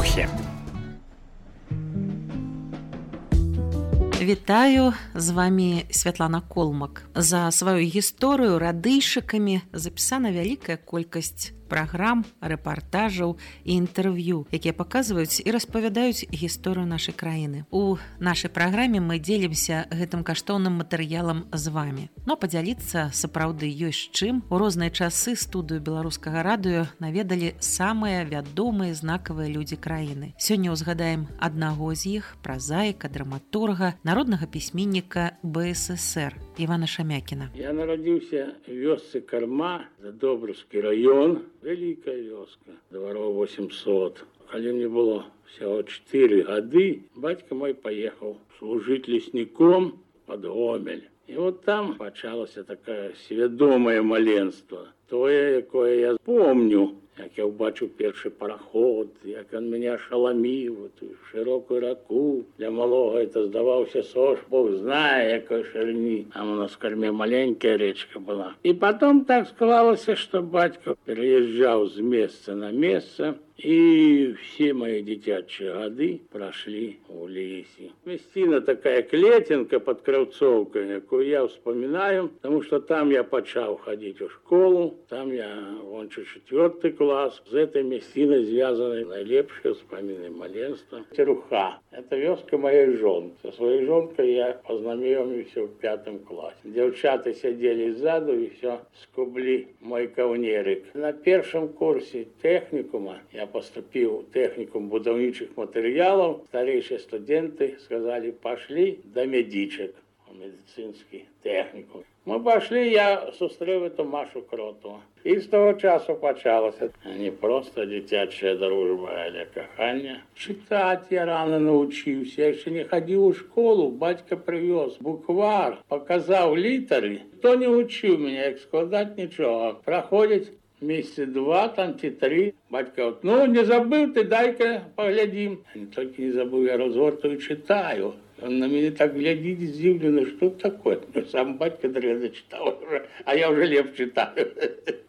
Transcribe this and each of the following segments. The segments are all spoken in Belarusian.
эпохі. Вітаю, з вами Святлана Колмак. За сваю гісторыю радыйшыкамі запісана вялікая колькасць праграм, рэпартажаў і інтэрв'ю, якія паказваюць і распавядаюць гісторыю нашай краіны. У нашай праграме мы дзелімся гэтым каштоўным матэрыялам з вамі. Но падзяліцца сапраўды ёсць чым. У розныя часы студыю беларускага радыё наведалі самыя вядомыя знакавыя людзі краіны. Сёння ўзгадаем аднаго з іх, празаіка, драматурга, народнага пісьменніка БССР Івана Шамякіна. Я нарадзіўся в вёсцы Карма, Задобраўскі раён, вялікая вёска, дваров 800. Калі мне было всего 4 гады, бацька мой поехал служить лесніком под Гомель. І вот там пачалася такое свядомае маленство. Тое, якое я помню, як я ўбачыў першы параход, як ён мяне ашаламіў, ту шырокую раку. Для малога это здаваўся сош, Бог знае, якой шырыні. А у нас в Карме маленькая речка была. І потом так склалася, што бацька переезжаў з месца на месца, и все мои дзіцячыя гады прошли у лесе. Месціна такая клетинка под Кравцовкой, якую я вспоминаю, потому что там я почал ходить в школу, там я кончил 4 класс. С этой местиной связаны наилепшие вспомины маленства. Теруха. Это вёска моей жонки. Со своей жонкой я познакомился в 5 классе. Девчата сидели сзаду и все скубли мой кавнерик. На первом курсе техникума я поступил в техникум будаўнічых матэрыялаў. Старейшие студенты сказали, пошли до медичек в медицинский техникум. Мы пошли, я сустрэў эту Машу Кроту. И с того часу пачалася не просто дзіцячая дружба, але каханне. Читать я рано научился, я еще не ходил в школу, батька привез буквар, показал літары. Кто не учил меня, як складать ничего. Проходит месяца 2, там 3. Батька вот, ну не забыл ты, дай-ка поглядим. Не только не забыл, я разгортаю, читаю. Он на меня так глядит здивленно, что такое. Сам батька древно читал, а я уже леп читаю.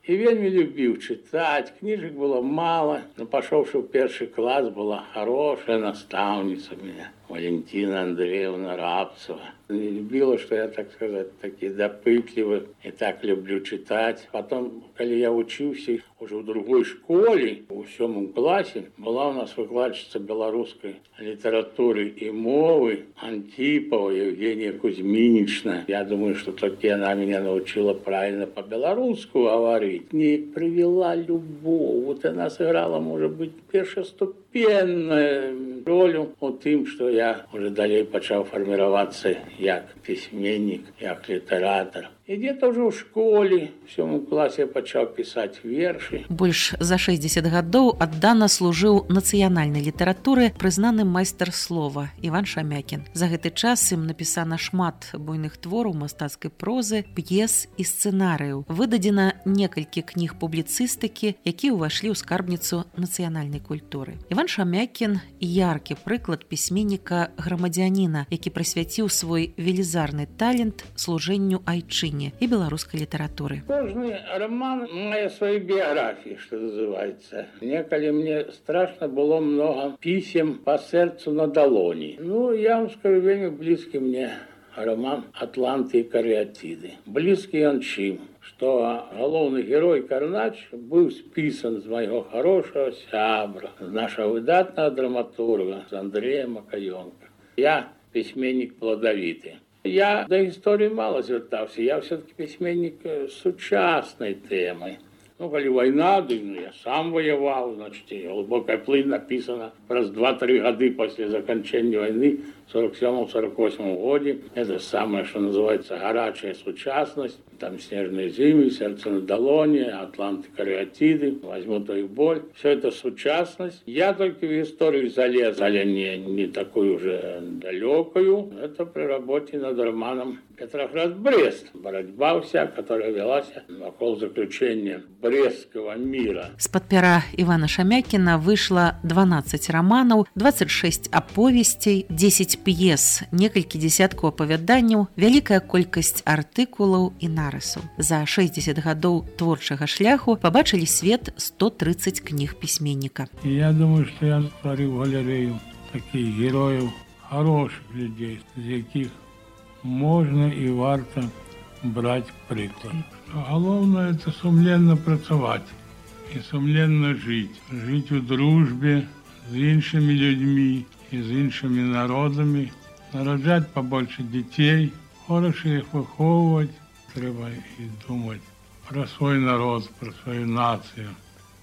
И вельми любил читать, книжек было мало. Но пошёвши в 1 класс, была хорошая наставница у меня, Валентина Андреевна Рабцева. Не любила, что я, так сказать, такие допытливый и так люблю читать. Потом, когда я учился уже в другой школе, в 7 классе, была у нас выкладчица белорусской литературы и мовы Антипова Евгения Кузьминична. Я думаю, что таки она меня научила правильно по-белорусски говорить. Не привела любовь. Вот она сыграла, может быть, першоступенную роль у тем, что я уже далее почал формироваться як письменник, як литератор. И где-то уже в школе, в 7 классе я пачаў писать верши. Больш за 60 гадоў аддана служыў нацыянальнай літаратуры прызнаны майстар слова Іван Шамякін. За гэты час ім напісана шмат буйных твораў мастацкай прозы, п'ес і сцэнарыяў. Выдадзена некалькі кніг публіцыстыкі, якія ўвайшлі ў скарбніцу нацыянальнай культуры. Іван Шамякін – яркі прыклад пісьменніка грамадзяніна, які прысвяціў свой велізарны талент служэнню айчыне и белорусской литературы. Каждый роман мае своей биографии, что называется. Неколи мне страшно было много писем по сердцу на долони. Ну, я вам скажу, вельми близкий мне роман «Атланты и кариатиды». Близкий он чим, что головный герой Карнач был списан с моего хорошего сябра, с нашего выдатного драматурга, с Андрея Макаёнка. Я письменник плодовитый. Я до истории мало звертався, я все-таки письменник сучасной темы. Ну, коли война, я сам воевал, значит, и «Глубокая плынь» написана раз 2-3 года после закончания войны в 47-48 году. Это самое, что называется, горячая сучасность. Там «Снежные зимы», «Сердце на долоне», «Атланты, кариатиды», «Возьму твою боль». Все это сучасность. Я только в историю залез, але не такую уже далекую. Это при работе над романом «Петроград-Брест». Борьба вся, которая велась вокруг заключения Брестского мира. З-пад пера Івана Шамякіна выйшла 12 романаў, 26 аповесцей, 10 10 п'ес, некалькі дзесяткаў апавяданняў, вялікая колькасць артыкулаў і нарысаў. За 60 гадоў творчага шляху пабачылі свет 130 кніг пісьменніка. Я думаю, что я створил галерею таких героев, хороших людей, з яких можно и варто брать приклад. Головне – это сумленно працаваць и сумленно жить. Жить у дружбе с іншими людьми и с іншими народами, нараджать побольше детей, хорошо их выховывать. Треба и думать про свой народ, про свою нацию,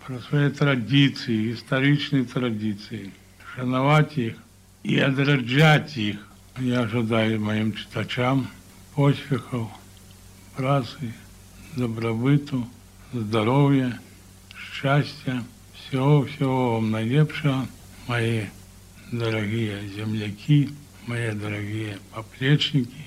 про свои традиции, историчные традиции, шановать их и отраджать их. Я ожидаю моим читачам успехов, працы, добробыту, здоровья, счастья, всего-всего вам наилепшего, мои дорогие земляки, мои дорогие поплечники,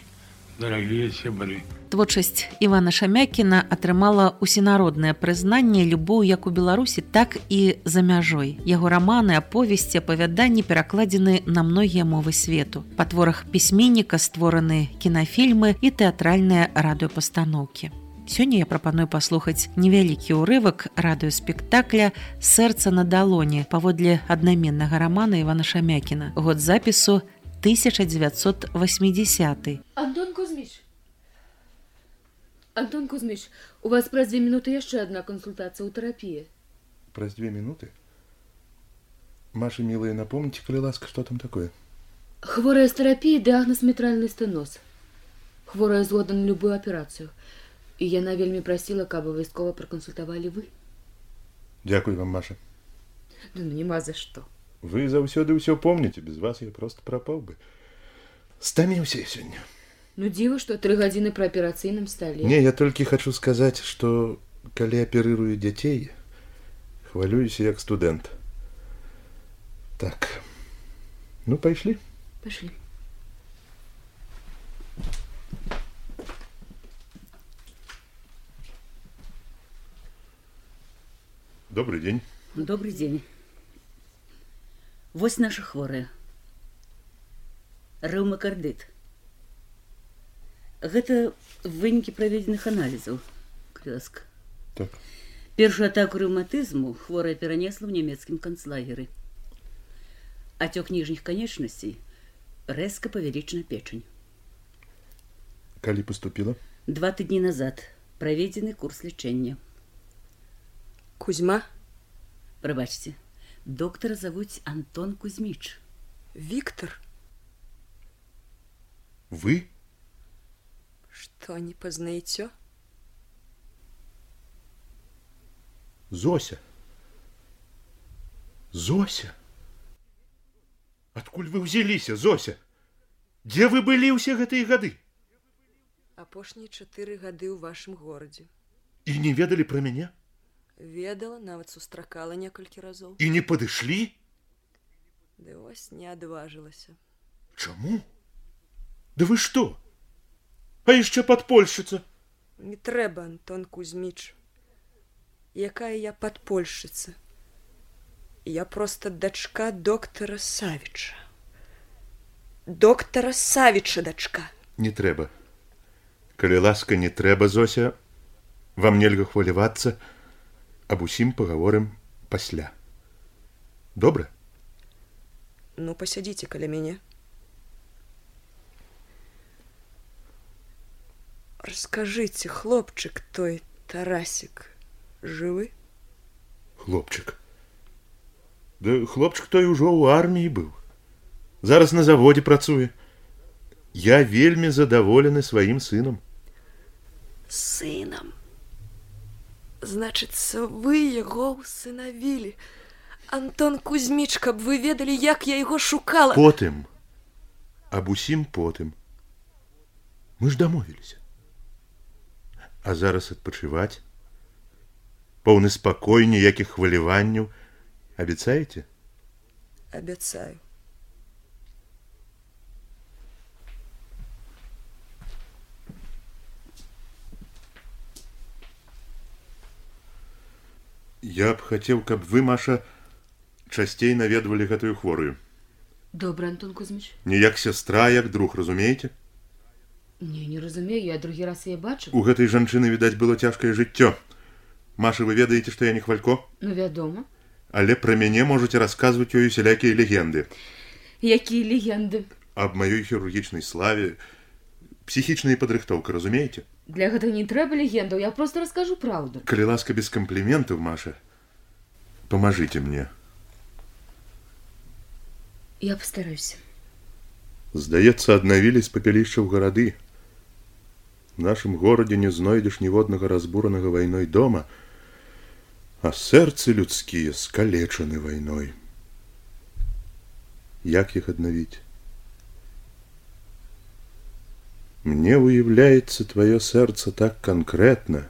дорогие сябры. Творчасць Івана Шамякіна атрымала усенароднае прызнанне, любоў як у Беларусі, так і за мяжой. Яго раманы, аповесці, апавяданні перакладзены на многія мовы свету. Па творах пісьменніка створаны кінафільмы і тэатральныя радыёпастаноўкі. Сёння я прапаную паслухаць невялікі ўрывак радыёспектакля «Сэрца на далоні» паводле аднаменнага рамана Івана Шамякіна. Год запісу 1980. Антон Кузьмич, у вас праз 2 минуты еще одна консультация у терапии. Праз 2 минуты? Маша, милая, напомните, коли ласка, что там такое? Хворая с терапией, диагноз митральный стеноз. Хворая згодна на любую операцию. И яна вельмі просила, каб абавязкова проконсультовали вы. Дякую вам, Маша. Да ну нема за что. Вы заўсёды ўсё помните, без вас я просто пропал бы. Стаміўся сегодня. Ну, диво, что 3 гадзіны при операцыйным столе. Не, я только хочу сказать, что, коли оперирую детей, хвалююсь як студент. Так, ну, пошли? Пошли. Добрый день. Добрый день. Вось наша хворая. Рэўмакардыт. Гэта вынікі праведзеных аналізаў. Кляска. Так. Першую атаку рэўматызму хворая перанесла ў нямецкім канцлагеры. Ацёк ніжніх канечнасцей, рэзка павялічана печань. Калі поступила? 2 тыдні назад праведзены курс лячэння. Кузьма? Прабачце, доктара завуць Антон Кузьміч. Виктор? Вы? Что, не познаете? Зося. Зося? Адкуль вы ўзяліся, Зося? Дзе вы былі ўсе гэтыя гады? Апошнія 4 гады ў вашым горадзе. І не ведалі пра мяне? Ведала, нават сустракала некалькі разоў. І не падышлі? Ды вось не адважылася. Чаму? Да вы што? А яшчэ падпольшчыца? Не трэба, Антон Кузьміч. Якая я падпольшчыца? Я просто дачка доктара Савіча. Доктара Савіча дачка. Не трэба. Калі ласка, не трэба, Зося. Вам нельга хвалявацца. Аб усім пагаворым пасля. Добра? Ну, посядзіце каля мяне. Расскажите, хлопчик той Тарасик жывы? Хлопчик? Да хлопчик той ужо ў арміі быў. Зараз на заводзе працуе. Я вельмі задаволены сваім сынам. Сынам? Значыцца, вы яго усынавілі. Антон Кузьміч, каб вы ведалі, як я яго шукала. Потым. Аб усім потым. Мы ж дамовіліся. А зараз адпачываць? Поўны спакой, ніякіх хваляванняў. Абяцаеце? Абяцаю. Я б хацеў, каб вы, Маша, часцей наведвалі гэтую хворую. Добре, Антон Кузьміч. Не як сястра, як друг, разумееце? Не разумею, я другі раз яе бачу. У гэтай жанчыны, відаць, было цяжкае жыццё. Маша, вы ведаеце, што я не хвалько? Ну, вядома. Але пра мяне можаце расказваць ёй усялякія легенды. Якія легенды? Аб маёй хірургічнай славе, псіхічная падрыхтоўка, разумееце? Для гэтага не трэба легендаў, я просто раскажу правду. Калі ласка, без кампліментаў, Маша, памажыце мне. Я постараюсь. Здаецца, аднавілі з папялішчаў гарады. В нашым горадзе не знойдзеш ніводнага разбуранага вайной дома, а сэрцы людскія скалечаны вайной. Як іх аднавіць? Мне уяўляецца твоё сэрца так канкрэтна.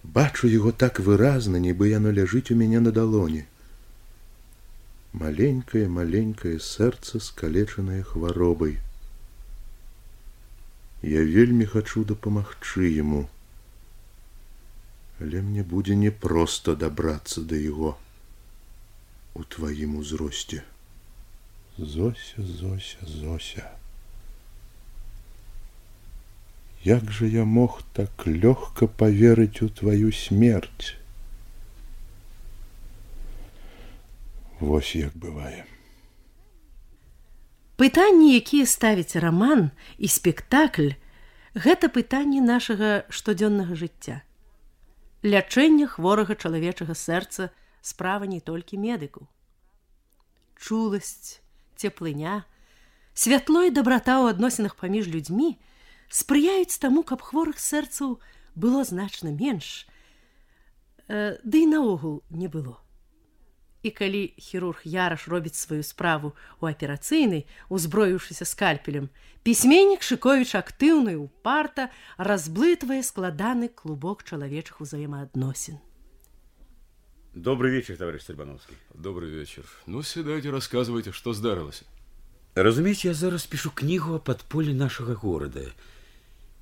Бачу яго так выразна, нібы яно ляжыць у мяне на далоні. Маленькае сэрца, скалечанае хваробай. Я вельмі хачу дапамагчы яму, але мне будзе непроста дабрацца да яго у тваім узросце. Зося, Зося, Зося. Як же я мог так лёгка поверыць у твою смерць? Вось як бывае. Пытанні, якія ставіць раман і спектакль, гэта пытанні нашага штодзённага жыцця. Лячэнне хворага чалавечага сэрца справа не толькі медыкаў. Чуласць, цеплыня, святло і дабрата ў адносінах паміж людзьмі спрыяюць таму, каб хворых сэрцаў было значна менш, ды і наогул не было. І калі хірург Яраш робіць сваю справу ў аперацыйнай, узброіўшыся скальпелем, пісьменнік Шыковіч актыўна і упарта разблытвае складаны клубок чалавечых узаемаадносін. Добрый вечер, товарищ Сальбановский. Добрый вечер. Ну, сідайте, рассказывайте, что здарылася. Разумеете, я зараз пишу книгу о подполе нашего города.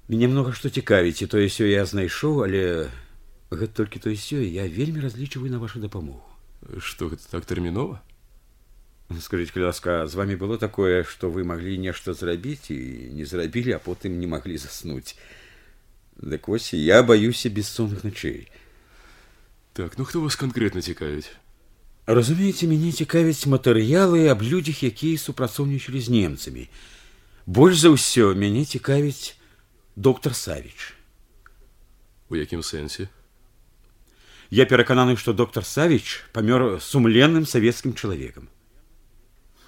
Меня много что цікавіць, і тое сё я знайшоў, але гэта толькі тое сё, я вельмі разлічваю на вашу дапамогу. Что, это так терминова? Скажите, калі ласка, з вами было такое, что вы могли нешта зрабіць і не зрабілі, а потым не могли заснуть? Дык вось, я боюсь бессонных ночей. Так, ну хто вас конкретно цікавіць? Разумееце, мяне цікавяць матэрыялы аб людзях, якія супрацоўнічалі з немцамі. Больш за ўсё мяне цікавіць доктор Савіч. У якім сэнсе? Я перакананы, што доктор Савіч памёр сумленным савецкім чалавекам.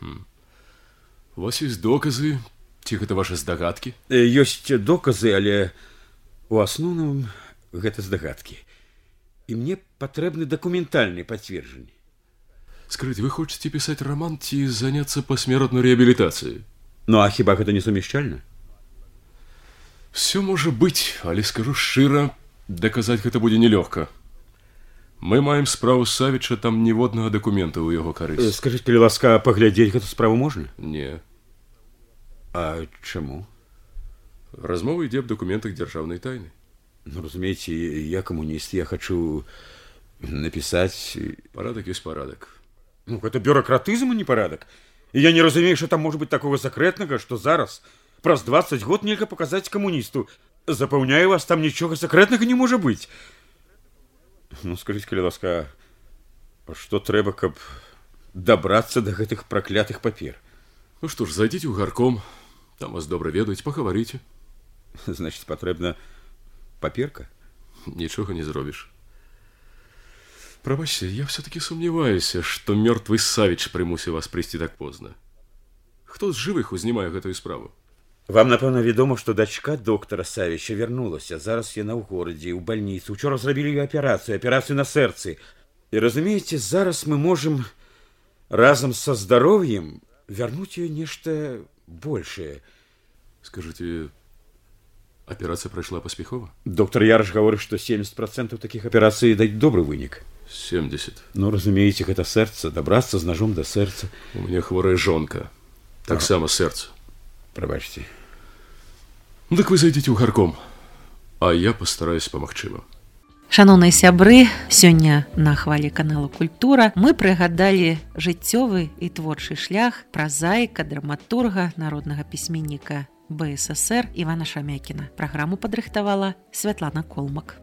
У вас ёсць доказы? Ці гэта вашы здагадкі? Ёсць доказы, але у асноўным гэта здагадкі. І мне патрэбны дакументальныя пацверджанні. Скажите, вы хочаце пісаць роман ці заняцца пасмертной реабілітацыяй? Ну, а хіба гэта не сумяшчальна? Все можа быць, але скажу шчыра, даказаць гэта будзе нелёгка. Мы маем справу Савіча, там ніводнага дакумента ў яго карысць. Скажыце, калі ласка, паглядзець гэту справу можна? Не. А чаму? Размова ідзе аб дакументах дзяржаўнай тайны. Ну, разумееце, я камуніст, я хачу напісаць... Парадак ёсць парадак. Ну, гэта бюракратызм, а не парадак. І я не разумею, што там можа быць такога сакрэтнага, што зараз, праз 20 год нельга паказаць камуністу. Запэўняю вас, там нічога сакрэтнага не можа быць. Ну, скажите, калі ласка, што трэба, каб дабрацца да гэтых праклятых папер? Ну што ж, зайдзіце ў гарком, там вас добра ведаюць, пагаварыце. Значит, патрэбна паперка? Нічога не зробіш. Прабачце, я все-таки сумневаюся, што мёртвы Савіч прымусіў вас прыйсці так позна. Хто з жывых узнімае гэтую справу? Вам, напэўна, вядома, што дачка доктара Савіча вярнулася. Зараз яна ў горадзе, ў бальніцы. Учора зрабілі ёй аперацыю на сэрцы. І разумееце, зараз мы можам разам са здароўем вярнуць ёй нешта большее. Скажите, операция прайшла паспяхова? Доктор Яраш гаворыць, што 70% такіх аперацый даюць добры вынік. 70. Ну, разумееце, гэта сэрца, дабрацца з ножом да сэрца. У мяне хворая жонка. Таксама сэрца. Прабачце. Ну, так вы зайдзіце ў гарком, а я пастараюсь памагчы вам. Шаноўныя сябры, сёння на хвалі канала Культура мы прыгадалі жыццёвы і творчы шлях празаіка, драматурга, народнага пісьменніка БССР Івана Шамякіна. Праграму падрыхтавала Святлана Колмак.